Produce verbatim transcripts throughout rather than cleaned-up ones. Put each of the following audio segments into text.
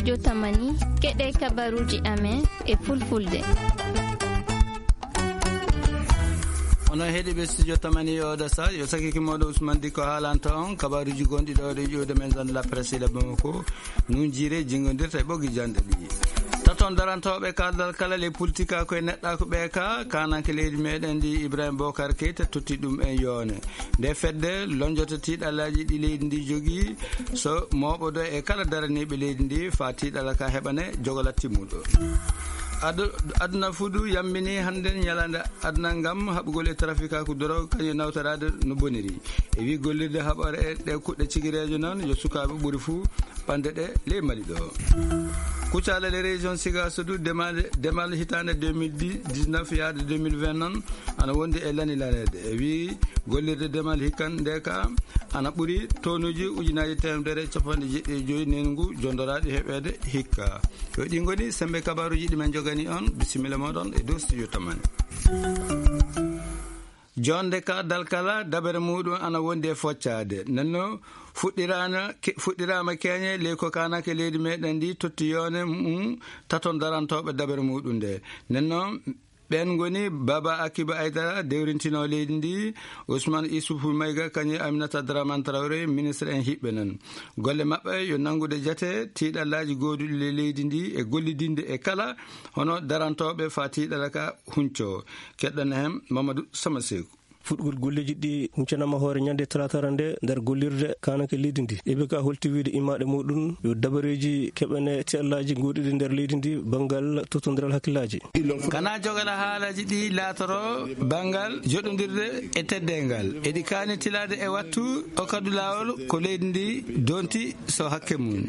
studio Tamani keɗe kabaruji amen e fulfulde. ono heeɗiɓe studio Tamani oɗo sa yo sakiki moɗo Ousmane Dicko haalanta on kabaruji gonɗi ɗo ɗe ƴewde maison de la presse le Bamako nun jiire jingodirta e ɓoggi jande ɗi taton darantoɓe kaldal kala les politique a koye neɗɗa ko ɓe ka kananke leydi meɗen ndi Ibrahima Bocar Keita totti ɗum e yoone nde fedde lonjoto tiiɗallaji ɗi leydi ndi jogui so moɓodo e kala daraniɓe leydi ndi fa tiiɗalla ka heɓane jogola timmuɗo aduna fuudu yambini hande ñalande aduna gam haɓugol e trafic ako doro kañum nawtorade no boniri e wi gollirde haɓore e ɗe kuɗɗe cigirejo noon yo sukaɓe ɓuuri fou ɓande ɗe ley mali ɗo kuccala les régions Sigassou demal demal hitande deux mille dix-neuf yaade deux mille vingt noon ana wondi e lani lanede e wi gollirde demal hikkan nde ka ana ɓuuri tonuji ujunaji temedere capanɗe jeɗɗi e joyyi nengu jondoraɗi heɓede hikka yo ɗi goni sembe kabaruji ɗi men jogani on bisimilla moɗon e dow studio Tamani. jonde ka dalkala dabere muɗum ana wondi e foccade nanno fuɗɗirana fuɗɗirama keñe ley ko kanake leydi meɗen ndi totti yone mum taton darantoɓe dabere muɗum nde nanno ɓen goni Baba Akiba Aydara dewrintino leydi ndi Ousmane Issoufou Mayiga kañum Aminata Dramane Traoré ministre en hiɓɓe nan golle mabɓe yo nangude jate tiiɗallaji goduɗi le leydi ndi e gollidinde e kala hono darantoɓe fa tiiɗala ka hunco keɗɗana hen Mamadou Samasekou fuɗgol golleji ɗi huccanama hoore ñande talatara nde nder gollirde kanake leydi ndi eɓe ka holti wiide immaɗe muɗum yo dabareji keɓane tiallaji goɗiɗi nder leydi ndi banggal totodiral hakkillaji kana jogala haalaji ɗi laatoro banggal joɗodirde e teddengal eɗi kani tilade e wattu o kadu lawol ko leydi ndi donti so hakke mum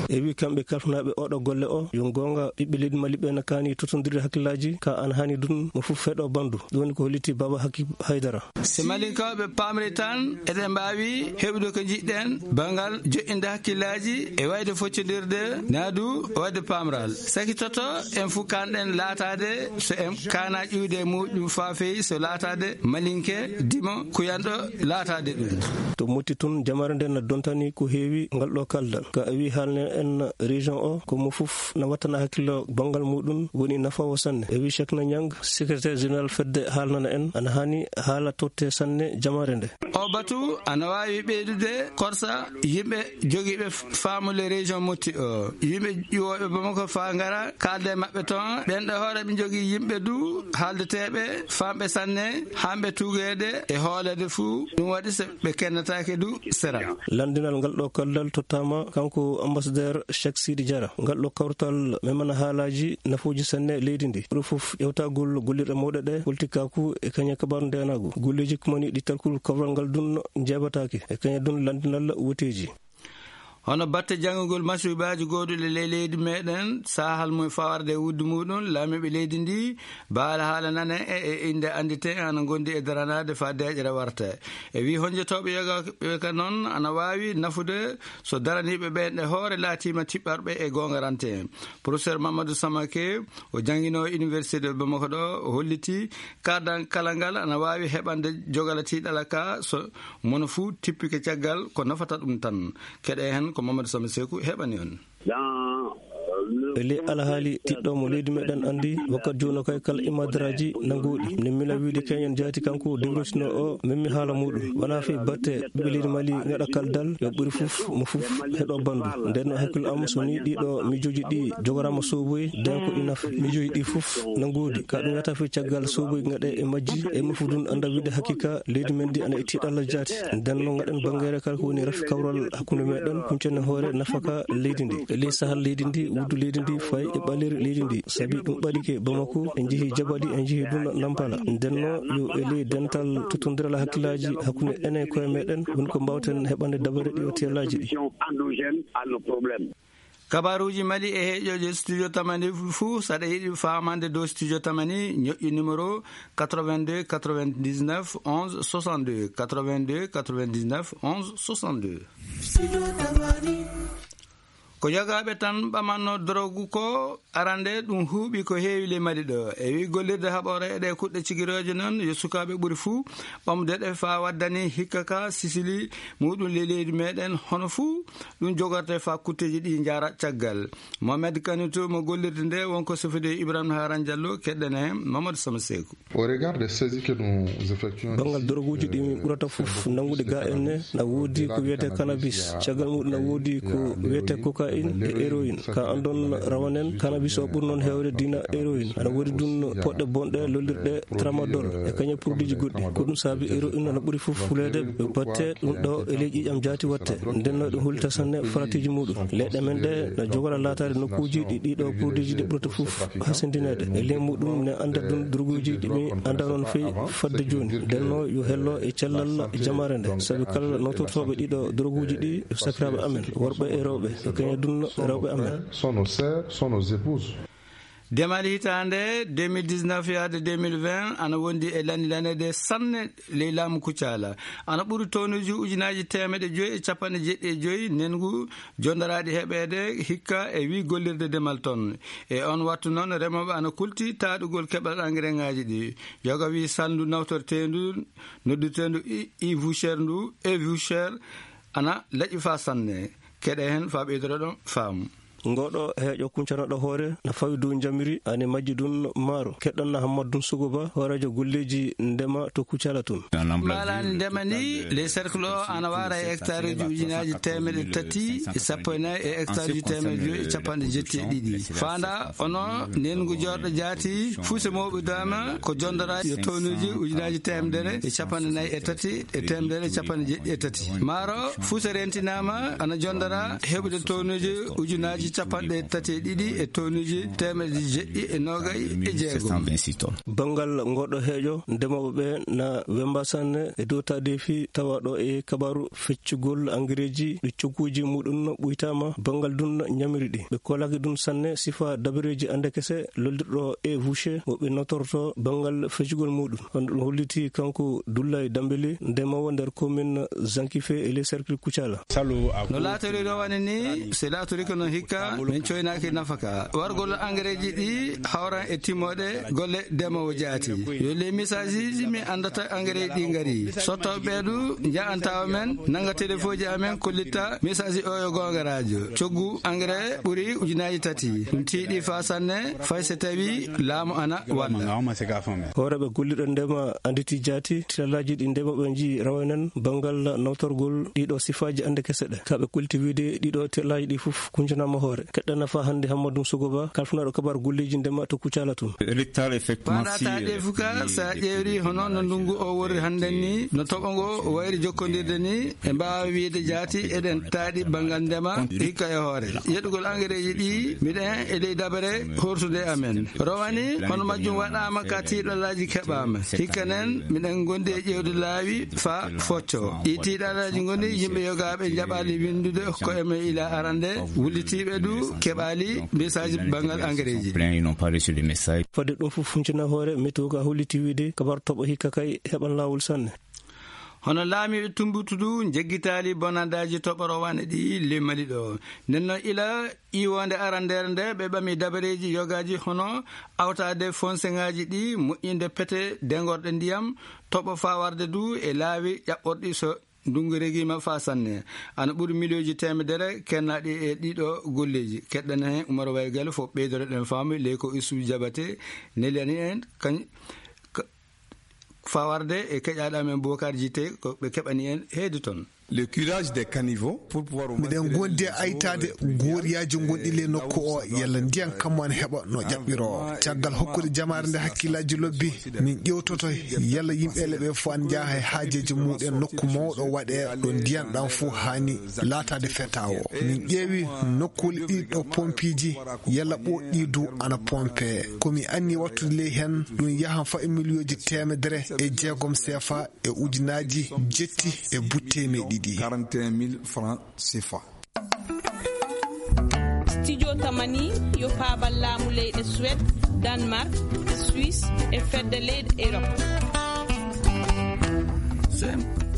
e wi kamɓe kalfanaɓe oɗo golle o yo gonga ɓiɓɓe leydi mali ɓe ne kani totodirde hakkillaji ka an hani ɗum mo foof feeɗo bandu ɗum woni ko holliti Baba Hakib Haydara si malinkoɓe pamri tan eɗen mbawi heɓude ko jiɗɗen bangal joƴƴinde hakkillaji e wayde foccodirde naadu wadde pamral sakitoto en fuu kanɗen laatade so en kana ƴiwde muɗum fa feewi so laatade malinke dimo kuyanɗo laatade ɗum to motti toon jamare nden no dontani ko heewi ngal ɗo kaldal ka wi haalne en région o komo foof no wattana hakkillo bangal muɗum woni nafawo sanne e wi Cheikhna Niang secrétaire général fedde haalnana en ana hani haala totte sanne jamare nde o batu ana wawi ɓeydude korsa yimɓe joguiɓe famule région motti o yimɓe ƴiwoɓe Bamako fa gara kalde mabɓe toon ɓen ɗo hoore ɓe jogui yimɓe du haaldeteɓe famɓe sanne hamɓe tugede e hoolede fou ɗum waɗi so ɓe kennetake du sera landinal ngal ɗo kaldal tottama kanko ambassadeur Cheikh Sidi Diarra ngal ɗo kawtal memana haalaji nafuji sanne leydi ndi ɓuri foof ƴewtagol gollirɗe mawɗe ɗe politikaku e kañe kabaru ndenagu golleji kumani ɗi talkul kawral ngal dun jeebatake e kañe dun landinal woteji hono batte janggugol masubaji goduɗe ley leydi meɗen sahal mum fawarde e wuddu muɗum laamiɓe leydi ndi baala haala nane e inde andite ana gondi e daranade fa deƴere warta e wi honjotoɓe yogaɓe ka noon ana wawi nafude so daraniɓe ɓen ɗe hoore laatima tiɓɓarɓe e gongarante en professeur Mamadou Samake o jangguino université de Bamako ɗo o holliti kardan kala ngal ana wawi heɓande jogala tiɗala ka so mono fou tippike caggal ko nafata ɗum tan keɗe hen ko Mamadou Samasekou heɓani on ele alhaali tiɗɗo mo leydi meɗen andi wakkat joni kay kala imadaraji nanguɗi ne mila wiide keñen jaati kanko dewrotino o memmi haala muɗum wona fe batte ɓiɓɓe leydi Mali gaɗa kaldal yo ɓuuri foof mo foof heɗo bandu nden no hakkille am so ni ɗiɗo mijoji ɗi jogorama soboyi den ko inafa mijoji ɗi foof nanguɗi ka ɗum wiyata fe caggal soboyi gaɗe e majji e mo foof ɗum anda wiide hakkika leydi men ndi ana e tiɗalla jaati nden no gaɗen bangere kala ko woni rafi kawral hakkude meɗen huncene hoore nafaka leydi ndi e ley sahal leydi ndi wuddu leydi ndi fayi e ɓaleri leydi ndi saabi ɗum ɓaɗike Bamako en jeehi jaɓaɗi en jeehi ɗum Nampala ndenno yo e ley dental totodiral hakkillaji hakkude enen koye meɗen woni ko mbawten heɓande dabare ɗi o tiyallaji ɗi kabaruji Mali e heeƴoje studio Tamani fou saɗa yiɗi famande dow studio Tamani ñoƴƴi numéro quatre-vingt-deux quatre-vingt-dix-neuf onze soixante-deux quatre-vingt-deux quatre-vingt-dix-neuf onze soixante-deux ko jogaɓe tan ɓamanno drogue ko arande ɗum huuɓi ko heewi le Mali ɗo e wi gollirde haɓore e ɗe kuɗɗe cigiroje noon yo sukaɓe ɓuri fuu ɓamde ɗe fa waddani hikka ka sisili muɗum le leydi meɗen hono fuu ɗum jogorte fa kutteji ɗi jara caggal. Mohamed Kanitou mo gollirde nde wonko sofide Ibrahima Haran Diallo keɗɗen hen Mamadou Sama Sekou. bangal droguji ɗi min ɓurata fof nangude ga enne na woodi ko wiyete cannabis, caggal muɗum na woodi ko wiyete cocaine e héroïne. ka andon rawanen cannabis o ɓuri noon hewde dina héroïne. aɗa woodi ɗum poɗɗe bonɗe lollirɗe tramadol e kañum produit ji goɗɗi ko ɗum saabi héroïne ana ɓuri fof fulede ɓe batte ɗum ɗo e ley ƴiƴam jaati watte ndenno ɗum hulta sanne faratiji muɗum. leɗɗe men ɗe na jogoɗa latade nokkuji ɗi ɗiɗo produit ji ɗi ɓurata fof hasindinede e ley muɗum ne anda ɗum droguji ɗiɓe anda noon feyi fadde joni. ndenno yo hello e cellal jamare nde saabi kala notortoɓe ɗiɗo droguji ɗi sakiraɓe amen worɓe e rewɓe e kañum dunno rewɓe amen. Demal hitande deux mille dix-neuf yaade deux mille vingt ana wondi e landilanede sanne ley laamu Kucala ana ɓuri tonnuji ujunaji temedde joyi e capanɗe jeɗɗi e joyi nengu jondaraɗi heɓede hikka e wi gollirde demal ton e on wattu noon remoɓe ana kulti taɗugol keɓal engrais ngaji ɗi. yoga wi sandu nawtortendu noddutendu i voucher ndu e voucher ana laƴi fa sanne keɗe hen fa ɓeydoro ɗon faamu. ngoɗo heeƴo kuncanoɗo hoore na fawi dow jamiri ani majji ɗum maaro keɗɗon na Hammadou Sougouba hoorejo golleji ndema to Kucala tun. malani ndema ni les cercle o ana wara e hectare uji ujunaji temedde tati e sappo e nayyi e hectare uji temedde joyi e capanɗe jetti e ɗiɗi fanda ono nengu jorɗo jaati fuuse mawɓe dama ko jondora yo tonnuji ujunaji temedere e capanɗe nayyi e tati e temedere e capanɗe jeɗɗi e tati. maaro fuuse rentinama ana jondora heɓude tonnuji ujunaji capanɗe tati e ɗiɗi e tonnuji temedde jeɗɗi e nogay e jeegom. bangal ngoɗo heeƴo ndemoɓe ɓe na wemba sanne e dow tadefi tawaɗo e kabaru feccugol engrais ji ɗi cogguji muɗum ɓuytama bangal dun ñamiri ɗi ɓe kolaki ɗum sanne sifa dabareji ande kese loldirɗo e voucher woɓe notorto bangal feccugol muɗum. on ɗum holliti kanko Doulay Dambeli ndemowo nder commune Zankife e les cercle Kucala. no laatori rawane ni c'est laatori ko no hikka min coynaki nafaka wargol engrais ji ɗi hawran e timmoɗe golle demowo jaati yo les messages ji mi andata engrais ɗi ngari sottoɓe ɓeeɗu jaantawa men nanga téléphone ji amen kollitta message o yo gonga radio coggu engrais ɓuuri ujunaji tati ɗum tiiɗi fa sanne fay so tawi laamu ana walla. hooreɓe golliɗo ndema anditi jaati tilalaji ɗi ndemoɓe ji rawanen bangal nawtorgol ɗiɗo sifaji ande kese ɗe kaɓe cultivide ɗiɗo telaji ɗi fof kuncanama hoore keɗɗana fa hande Hammadou Sougouba kalfanaɗo kabar golleji ndema to Kucala tun. paɗata ɗe fuka sa ƴeewri hono no ndungu o wori hannden ni no toɓo ngo wayri jokkodirde ni e mbawa wiide jaati eɗen taaɗi bangal ndema hikka e hoore yeɗugol engrais ji ɗi miɗen e ley dabare hortude amen rowani hono majjum waɗama ka tiiɗalaji keɓama hikka nen miɗen gondi e ƴewde laawi fa focco ɗi tiiɗalaji goni yimɓe yogaɓe jaɓali windude ko emen ila arande wullitiɓe du keɓali message bangal engrais ji fadde ɗum fof funcina hoore météo ka holliti wiide kabar toɓo hikka kay heɓan lawol sanne. hono laamiɓe tumbutudu jeggitali bonandaji toɓoro wane ɗi le Mali ɗo nden noon ila iwonde arandere nde ɓe ɓami dabareji yogaji hono awtade fonseŋaji ɗi moƴƴinde pete dengorɗe ndiyam toɓo fawarde du e laawi ƴaɓɓorɗi so ndungu regima fa sanne ana ɓuri milioji temedere kennaɗi e ɗiɗo golleji keɗɗen hen Oumar Waygal fof ɓeydore ɗen faamu ley ko Issou Diabaté nelani en kañ fawarde e keƴaɗa men Boubacar Djité ko ɓe keɓani en heedi toon. le curage des caniveaux pour pouvoir miɗen gondi aytade goriyaji gonɗi le nokku o yalla ndiyan kamman heɓa no ƴaɓɓiro caggal hokkude jamare nde hakkillaji lobbi min ƴewtoto yalla yimɓele ɓe fo an jaaha e haajeji muɗen nokku mawɗo waɗe ɗo ndiyan ɗan fo hani laatade feta o min ƴeewi nokkuli ɗiɗo pompiji yalla ɓoɗɗi du ana pompe komi anni wattude ley hen ɗum yahan fa e millioji temedere e jeegom sefa e ujunaji jetti e buttemeɗi quarante et un mille francs C F A. Studio Tamani yo paabal laamu leyɗe Suède, Danemark, Suisse e fedde leyɗe Europe.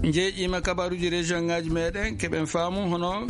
jeeƴima kabaruji région ngaji meɗen keɓen faamu hono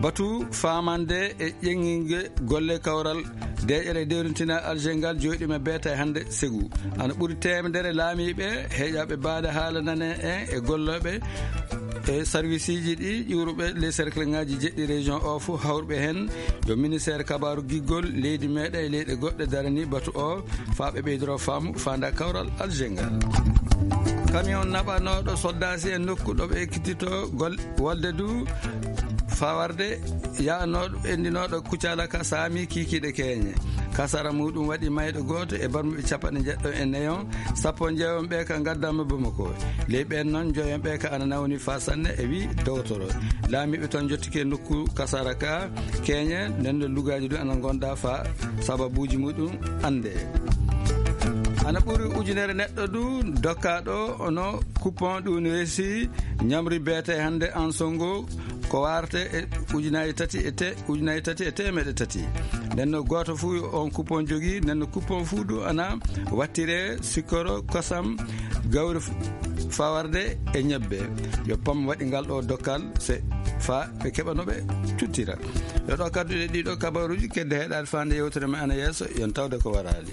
batu famande e ƴeŋŋinge golle kawral deƴere dewrintina algengal joyɗime beeta hande segu ana ɓuri temedere laamiɓe heeƴaɓe baade haala nane en e golloɓe e service ji ɗi ƴuuruɓe les cercle ngaji jeɗɗi région o fo hawrɓe hen yo ministére kabaru giggol leydi meɗen e leyɗe goɗɗe darani batu o faaɓe ɓeydoro faamu fanda kawral algengal. camion naɓanoɗo soddasi e nokku ɗoɓe ekkitito gol wolde du fawarde yanoɗo endinoɗo kucalaka saami kikiɗe keeñe kasara muɗum waɗi mayɗo goto e barmuɓe capanɗe jeɗɗo e nayon sappo jeewon ɓe ka gaddama Bamako ley ɓen noon joyon ɓe ka ana nawni fa sanne e wi dowtoro laamiɓe toon jottike nokku kasara ka keeñe nden lugaji ɗum ana gonda fa sababuji muɗum ande ana ɓuri ujunere neɗɗo du dokkaɗo ono coupon ɗum ne weesi ñamri beete hande en songo ko warate e ujunaji tati e te ujunaji tati e temeɗe tati nden no goto fuu on coupon jogui nden no coupon fuu du ana wattire sikkoro kosam gawri fawarde e ñebbe yo pam waɗi ngal ɗo dokkal se fa ɓe keɓanoɓe cuttira yo ɗo kadduɗe ɗiɗo kabaruji kedde heeɗade fande yewtere me ana yeeso yon tawde ko warali.